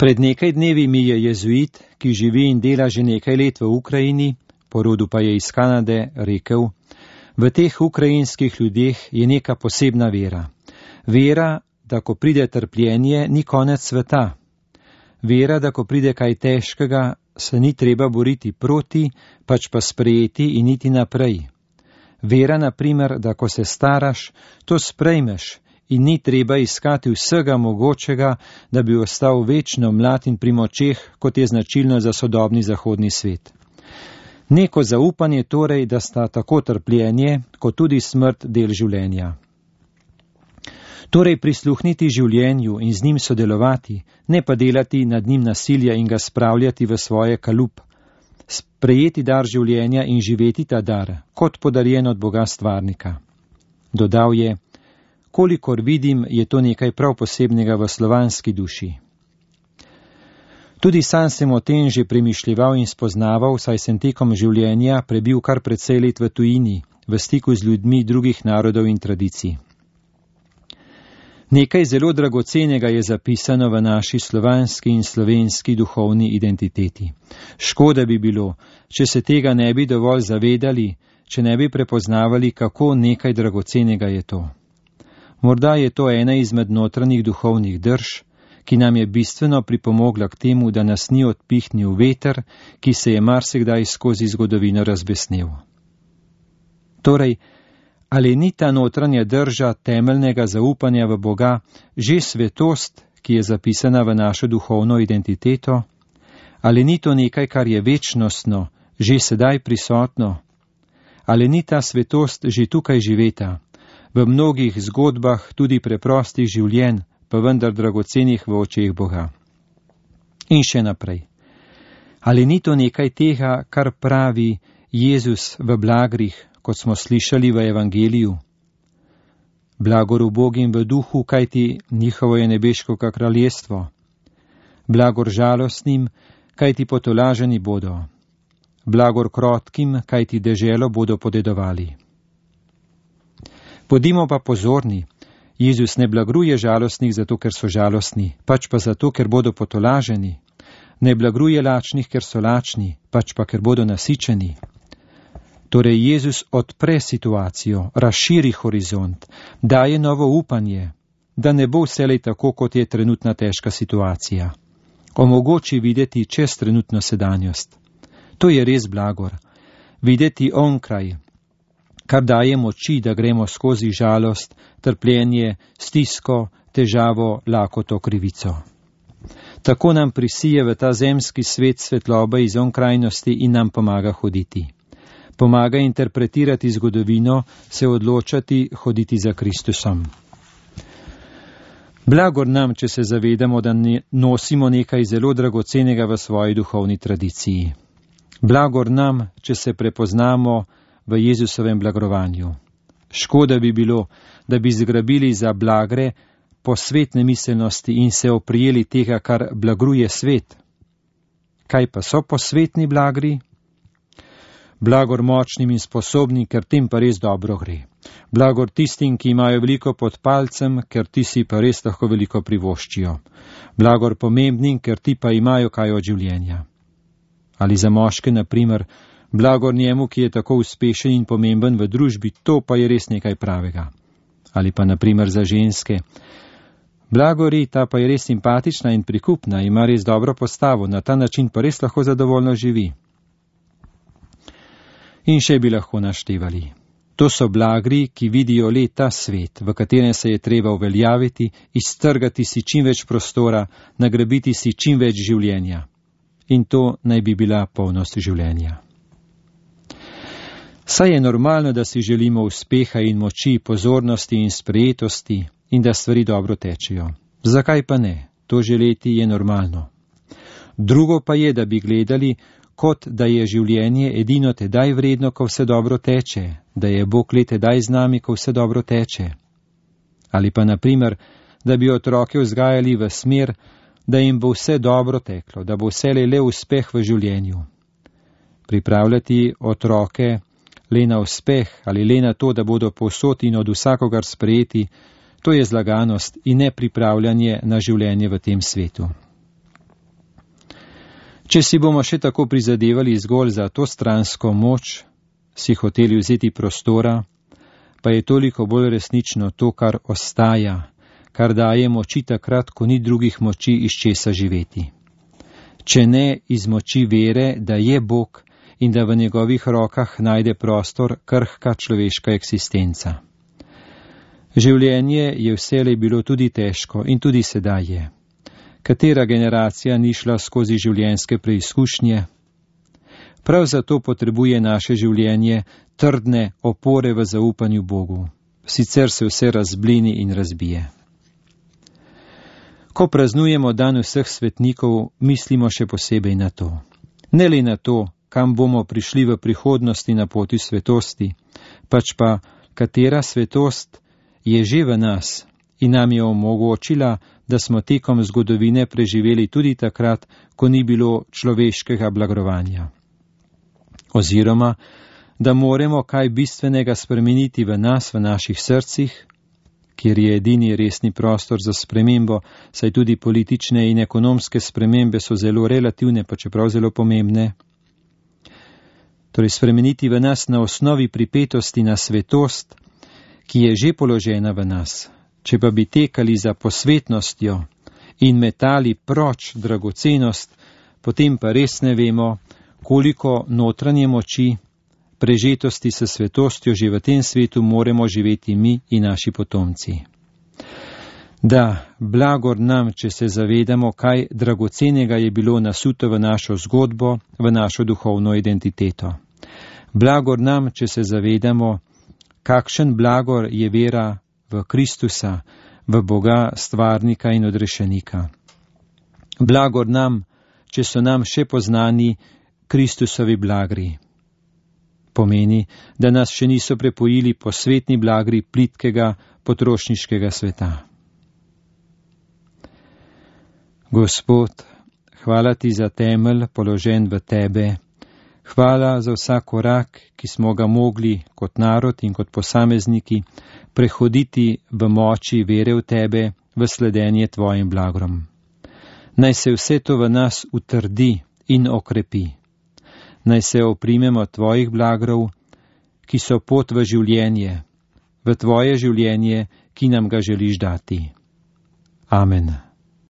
Pred nekaj dnevi mi je jezuit, ki živi in dela že nekaj let v Ukrajini, po rodu pa je iz Kanade, rekel: v teh ukrajinskih ljudeh je neka posebna vera. Vera, da ko pride trpljenje, ni konec sveta. Vera, da ko pride kaj težkega, se ni treba boriti proti, pač pa sprejeti in iti naprej. Vera, na primer, da ko se staraš, to sprejmeš in ni treba iskati vsega mogočega, da bi ostal večno mlad in pri močeh, kot je značilno za sodobni zahodni svet. Neko zaupanje torej, da sta tako trpljenje, kot tudi smrt del življenja. Torej prisluhniti življenju in z njim sodelovati, ne pa delati nad njim nasilja in ga spravljati v svoje kalup. Sprejeti dar življenja in živeti ta dar, kot podarjen od Boga stvarnika. Dodal je: kolikor vidim, je to nekaj prav posebnega v slovanski duši. Tudi sam sem o tem že premišljeval in spoznaval, saj sem tekom življenja prebil kar precej let v tujini, v stiku z ljudmi drugih narodov in tradicij. Nekaj zelo dragocenega je zapisano v naši slovanski in slovenski duhovni identiteti. Škoda bi bilo, če se tega ne bi dovolj zavedali, če ne bi prepoznavali, kako nekaj dragocenega je to. Morda je to ena izmed notranjih duhovnih drž, ki nam je bistveno pripomogla k temu, da nas ni odpihnil veter, ki se je marsikdaj skozi zgodovino razbesnel. Torej, ali ni ta notranja drža temeljnega zaupanja v Boga že svetost, ki je zapisana v našo duhovno identiteto? Ali ni to nekaj, kar je večnostno, že sedaj prisotno? Ali ni ta svetost že tukaj živeta, v mnogih zgodbah tudi preprostih življenj, pa vendar dragocenih v očeh Boga? In še naprej. Ali ni to nekaj tega, kar pravi Jezus v blagrih, kot smo slišali v evangeliju? Blagor ubogim v duhu, kajti njihovo je nebeško kraljestvo. Blagor žalostnim, kajti potolaženi bodo. Blagor krotkim, kajti deželo bodo podedovali. Bodimo pa pozorni, Jezus ne blagruje žalostnih zato, ker so žalostni, pač pa zato, ker bodo potolaženi. Ne blagruje lačnih, ker so lačni, pač pa ker bodo nasičeni. Torej Jezus odpre situacijo, razširi horizont, daje novo upanje, da ne bo vselej tako, kot je trenutna težka situacija. Omogoči videti čez trenutno sedanjost. To je res blagor. Videti onkraj, kar daje moči, da gremo skozi žalost, trpljenje, stisko, težavo, lakoto, krivico. Tako nam prisije v ta zemski svet svetloba iz onkrajnosti in nam pomaga hoditi. Pomaga interpretirati zgodovino, se odločati, hoditi za Kristusom. Blagor nam, če se zavedamo, da nosimo nekaj zelo dragocenega v svoji duhovni tradiciji. Blagor nam, če se prepoznamo v Jezusovem blagrovanju. Škoda bi bilo, da bi zgrabili za blagre posvetne miselnosti in se oprijeli tega, kar blagruje svet. Kaj pa so posvetni blagri? Blagor močnim in sposobnim, ker tem pa res dobro gre. Blagor tistim, ki imajo veliko pod palcem, ker ti si pa res lahko veliko privoščijo. Blagor pomembnim, ker ti pa imajo kaj od življenja. Ali za moške, na primer, blagor njemu, ki je tako uspešen in pomemben v družbi, to pa je res nekaj pravega. Ali pa na primer za ženske. Blagori, ta pa je res simpatična in prikupna, ima res dobro postavo, na ta način pa res lahko zadovoljno živi. In še bi lahko naštevali. To so blagri, ki vidijo le ta svet, v katerem se je treba uveljaviti, iztrgati si čim več prostora, nagrabiti si čim več življenja. In to naj bi bila polnost življenja. Saj je normalno, da si želimo uspeha in moči, pozornosti in sprejetosti in da stvari dobro tečejo. Zakaj pa ne? To želeti je normalno. Drugo pa je, da bi gledali, kot da je življenje edino tedaj vredno, ko vse dobro teče, da je Bog le tedaj z nami, ko vse dobro teče. Ali pa na primer, da bi otroke vzgajali v smer, da jim bo vse dobro teklo, da bo vselej le uspeh v življenju. Pripravljati otroke le na uspeh ali le na to, da bodo povsod in od vsakogar sprejeti, to je zlaganost in ne pripravljanje na življenje v tem svetu. Če si bomo še tako prizadevali zgolj za to stransko moč, si hoteli vzeti prostora, pa je toliko bolj resnično to, kar ostaja, kar daje moči takrat, ko ni drugih moči iz česa živeti. Če ne iz moči vere, da je Bog in da v njegovih rokah najde prostor krhka človeška eksistenca. Življenje je vselej bilo tudi težko in tudi sedaj je. Katera generacija ni šla skozi življenjske preizkušnje? Prav zato potrebuje naše življenje trdne opore v zaupanju Bogu. Sicer se vse razblini in razbije. Ko praznujemo dan vseh svetnikov, mislimo še posebej na to. Ne le na to, kam bomo prišli v prihodnosti na poti svetosti, pač pa katera svetost je že v nas in nam je omogočila, da smo tekom zgodovine preživeli tudi takrat, ko ni bilo človeškega blagrovanja. Oziroma, da moremo kaj bistvenega spremeniti v nas, v naših srcih, kjer je edini resni prostor za spremembo, saj tudi politične in ekonomske spremembe so zelo relativne, pa čeprav zelo pomembne. Torej spremeniti v nas na osnovi pripetosti na svetost, ki je že položena v nas. Če pa bi tekali za posvetnostjo in metali proč dragocenost, potem pa res ne vemo, koliko notranje moči, prežetosti s svetostjo že v tem svetu moremo živeti mi in naši potomci. Da, blagor nam, če se zavedamo, kaj dragocenega je bilo nasuto v našo zgodbo, v našo duhovno identiteto. Blagor nam, če se zavedamo, kakšen blagor je vera v Kristusa, v Boga, stvarnika in odrešenika. Blagor nam, če so nam še poznani Kristusovi blagri. Pomeni, da nas še niso prepojili posvetni blagri plitkega potrošniškega sveta. Gospod, hvala ti za temelj položen v tebe. Hvala za vsak korak, ki smo ga mogli kot narod in kot posamezniki prehoditi v moči vere v tebe, v sledenje tvojim blagrom. Naj se vse to v nas utrdi in okrepi. Naj se oprimemo tvojih blagrov, ki so pot v življenje, v tvoje življenje, ki nam ga želiš dati. Amen.